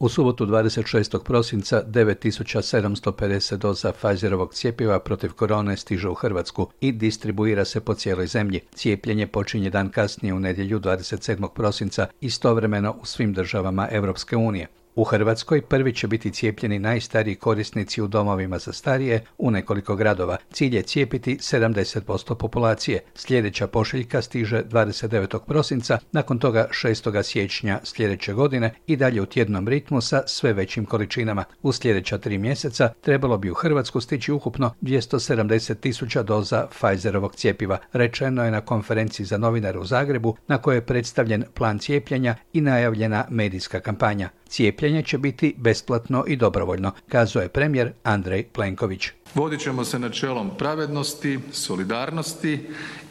U subotu 26. prosinca 9750 doza Pfizerovog cjepiva protiv korone stiže u Hrvatsku i distribuira se po cijeloj zemlji. Cijepljenje počinje dan kasnije u nedjelju 27. prosinca istovremeno u svim državama Europske unije. U Hrvatskoj prvi će biti cijepljeni najstariji korisnici u domovima za starije u nekoliko gradova. Cilj je cijepiti 70% populacije. Sljedeća pošiljka stiže 29. prosinca, nakon toga 6. siječnja sljedeće godine i dalje u tjednom ritmu sa sve većim količinama. U sljedeća 3 mjeseca trebalo bi u Hrvatsku stići ukupno 270.000 doza Pfizerovog cjepiva, rečeno je na konferenciji za novinare u Zagrebu, na kojoj je predstavljen plan cijepljenja i najavljena medijska kampanja. Cijepljenje će biti besplatno i dobrovoljno, kazao je premijer Andrej Plenković. Vodit ćemo se načelom pravednosti, solidarnosti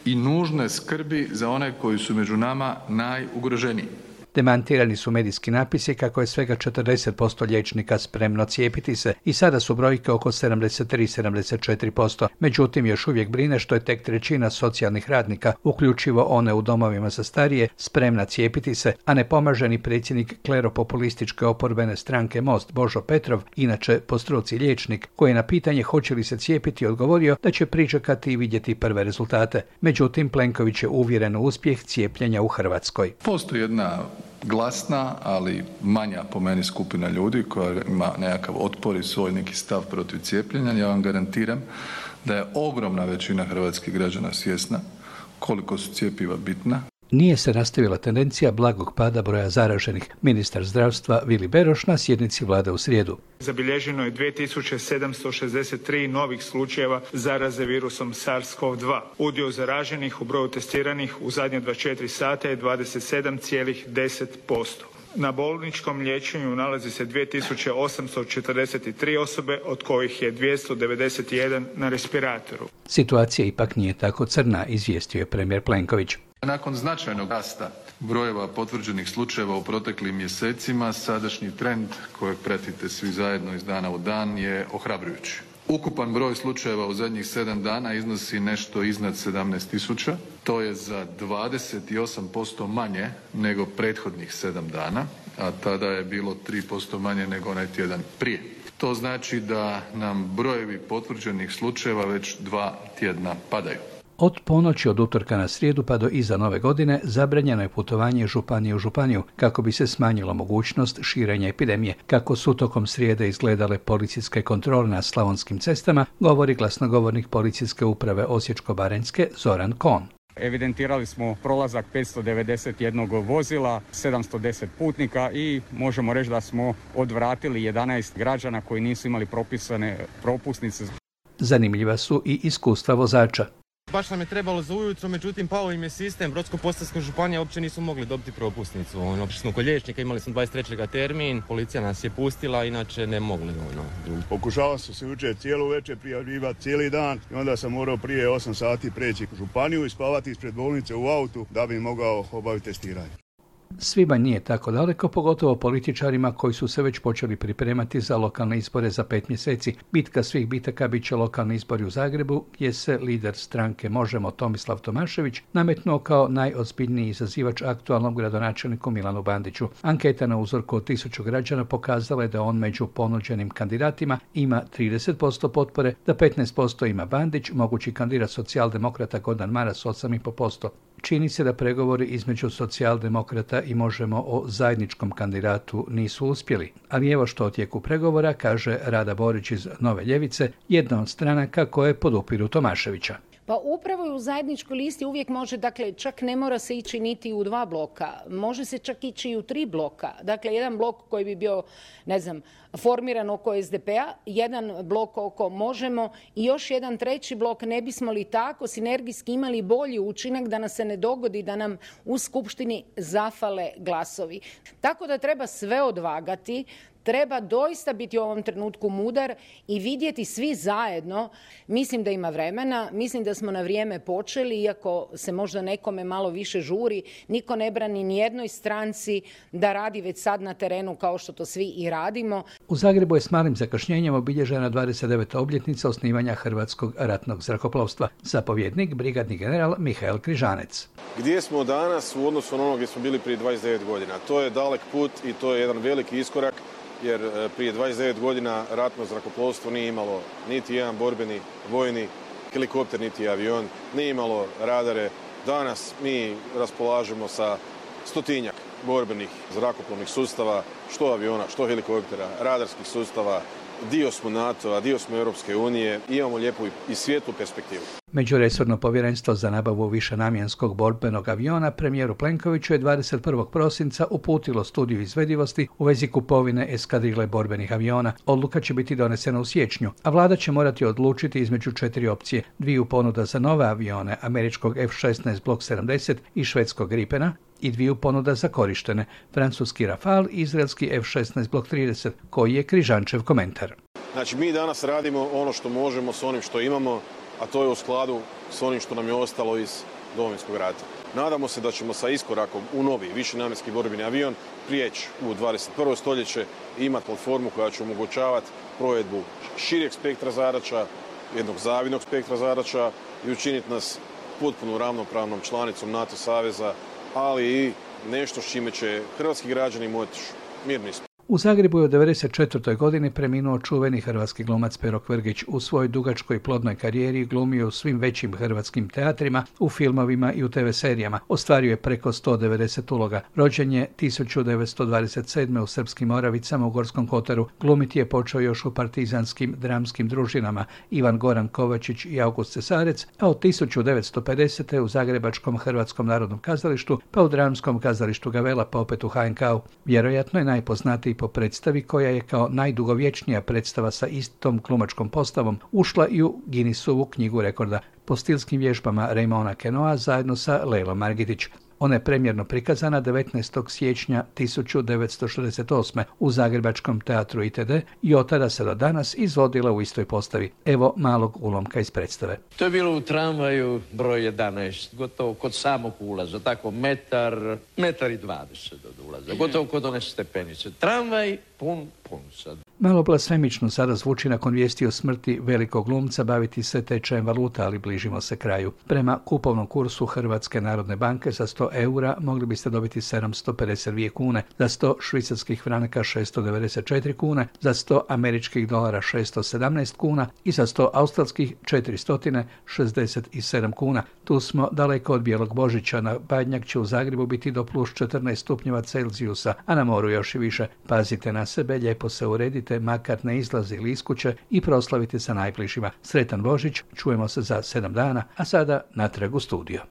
i nužne skrbi za one koji su među nama najugroženiji. Demantirani su medijski napisi kako je svega 40% liječnika spremno cijepiti se i sada su brojke oko 73-74%. Međutim, još uvijek brine što je tek trećina socijalnih radnika, uključivo one u domovima za starije, spremna cijepiti se, a ne pomaže ni predsjednik kleropopulističke oporbene stranke Most Božo Petrov, inače po struci liječnik, koji je na pitanje hoće li se cijepiti odgovorio da će pričekati i vidjeti prve rezultate. Međutim, Plenković je uvjeren u uspjeh cijepljenja u Hrvatskoj. Postoji jedna glasna, ali manja po meni skupina ljudi koja ima nekakav otpor i svoj neki stav protiv cijepljenja. Ja vam garantiram da je ogromna većina hrvatskih građana svjesna koliko su cjepiva bitna. Nije se nastavila tendencija blagog pada broja zaraženih. Ministar zdravstva Vili Beroš na sjednici vlade u srijedu. Zabilježeno je 2763 novih slučajeva zaraze virusom SARS-CoV-2. Udio zaraženih u broju testiranih u zadnje 24 sata je 27,10%. Na bolničkom liječenju nalazi se 2843 osobe, od kojih je 291 na respiratoru. Situacija ipak nije tako crna, izvijestio je premijer Plenković. Nakon značajnog rasta brojeva potvrđenih slučajeva u proteklim mjesecima, sadašnji trend kojeg pratite svi zajedno iz dana u dan je ohrabrujući. Ukupan broj slučajeva u zadnjih 7 dana iznosi nešto iznad 17.000. To je za 28% manje nego prethodnih 7 dana, a tada je bilo 3% manje nego onaj tjedan prije. To znači da nam brojevi potvrđenih slučajeva već 2 tjedna padaju. Od ponoći od utorka na srijedu pa do iza nove godine zabranjeno je putovanje iz županije u županiju kako bi se smanjila mogućnost širenja epidemije. Kako su tokom srijede izgledale policijske kontrole na slavonskim cestama, govori glasnogovornik policijske uprave Osječko-baranjske Zoran Kon. Evidentirali smo prolazak 591 vozila, 710 putnika i možemo reći da smo odvratili 11 građana koji nisu imali propisane propusnice. Zanimljiva su i iskustva vozača. Baš nam je trebalo za ujutro, međutim pao im je sistem, Brodsko-posavska županija uopće nisu mogli dobiti propusnicu. Otišli smo kod liječnika, imali smo 23. termin, policija nas je pustila, inače ne mogli. Pokušavao sam se jučer cijelo večer prijavljivati cijeli dan i onda sam morao prije 8 sati preći u županiju i spavati ispred bolnice u autu da bi mogao obaviti testiranje. Svibanj nije tako daleko, pogotovo političarima koji su se već počeli pripremati za lokalne izbore za 5 mjeseci. Bitka svih bitaka bit će lokalni izbori u Zagrebu, gdje se lider stranke Možemo Tomislav Tomašević nametnuo kao najozbiljniji izazivač aktualnom gradonačelniku Milanu Bandiću. Anketa na uzorku od 1000 građana pokazala je da on među ponuđenim kandidatima ima 30% potpore, da 15% ima Bandić, mogući kandidat socijaldemokrata Gordan Maras 8,5%. Čini se da pregovori između socijaldemokrata i Možemo o zajedničkom kandidatu nisu uspjeli. Ali evo što o tijeku pregovora kaže Rada Borić iz Nove ljevice, jedna od stranaka koje podupiru Tomaševića. Pa upravo i u zajedničkoj listi uvijek može, dakle, čak ne mora se ići niti u 2 bloka, može se čak ići i u 3 bloka. Dakle, jedan blok koji bi bio, formiran oko SDP-a, jedan blok oko Možemo i još jedan treći blok. Ne bismo li tako sinergijski imali bolji učinak da nas se ne dogodi da nam u skupštini zafale glasovi. Tako da treba sve odvagati. Treba doista biti u ovom trenutku mudar i vidjeti svi zajedno. Mislim da ima vremena, mislim da smo na vrijeme počeli, iako se možda nekome malo više žuri. Niko ne brani ni jednoj stranci da radi već sad na terenu kao što to svi i radimo. U Zagrebu je s malim zakašnjenjem obilježena 29. obljetnica osnivanja Hrvatskog ratnog zrakoplovstva. Zapovjednik, brigadni general Mihael Križanec. Gdje smo danas u odnosu na ono gdje smo bili prije 29 godina? To je dalek put i to je jedan veliki iskorak. jer prije 29 godina ratno zrakoplovstvo nije imalo niti jedan borbeni vojni helikopter, niti avion, nije imalo radare. Danas mi raspolažemo sa 100-tinjak borbenih zrakoplovnih sustava, što aviona, što helikoptera, radarskih sustava. Dio smo NATO-a, dio smo Europske unije, imamo lijepu i svijetlu perspektivu. Međuresorno povjerenstvo za nabavu višenamjenskog borbenog aviona premijeru Plenkoviću je 21. prosinca uputilo studiju izvedivosti u vezi kupovine eskadrile borbenih aviona. Odluka će biti donesena u siječnju, a vlada će morati odlučiti između 4 opcije: 2 ponuda za nove avione, američkog F-16 Block 70 i švedskog Gripena, i 2 ponuda za korištene, francuski Rafale i izraelski F-16 Block 30, koji je Križančev komentar. Znači, mi danas radimo ono što možemo s onim što imamo, a to je u skladu s onim što nam je ostalo iz Domovinskog rata. Nadamo se da ćemo sa iskorakom u novi višenamjenski borbeni avion prijeći u 21. stoljeće i imati platformu koja će omogućavati provedbu šireg spektra zadaća, jednog zavidnog spektra zadaća i učiniti nas potpuno ravnopravnom članicom NATO saveza, ali i nešto s čime će hrvatski građani moći mirni spati. U Zagrebu je u 1994. godini preminuo čuveni hrvatski glumac Pero Kvrgić. U svojoj dugačkoj i plodnoj karijeri glumio u svim većim hrvatskim teatrima, u filmovima i u TV serijama. Ostvario je preko 190 uloga. Rođen je 1927. u Srpskim Moravicama u Gorskom Kotaru. Glumiti je počeo još u partizanskim dramskim družinama Ivan Goran Kovačić i August Cesarec, a od 1950. u Zagrebačkom Hrvatskom narodnom kazalištu, pa u Dramskom kazalištu Gavela, pa opet u HNK-u. Vjerojatno je najpoznatiji po predstavi koja je kao najdugovječnija predstava sa istom glumačkom postavom ušla i u Guinnessovu knjigu rekorda po stilskim vježbama Raymona Queneaua zajedno sa Leilom Margitić. Ona je premjerno prikazana 19. siječnja 1968. u Zagrebačkom teatru ITD i od tada se do danas izvodila u istoj postavi. Evo malog ulomka iz predstave. To je bilo u tramvaju broj 11, gotovo kod samog ulaza, tako metar i 20 od ulaza, gotovo kod one stepenice. Tramvaj pun sad. Malo blasfemično sada zvuči nakon vijesti o smrti velikog glumca baviti se tečajem valuta, ali bližimo se kraju. Prema kupovnom kursu Hrvatske narodne banke za 100 eura mogli biste dobiti 752 kune, za 100 švicarskih franaka 694 kune, za 100 američkih dolara 617 kuna i za 100 australskih 467 kuna. Tu smo daleko od bijelog Božića. Na Badnjak će u Zagrebu biti do plus 14 stupnjeva Celzijusa, a na moru još i više. Pazite na sebe, lijepo se uredite, makar ne izlazili iz kuće i proslavite sa najbližima. Sretan Božić, čujemo se za 7 dana, a sada natrag u studio.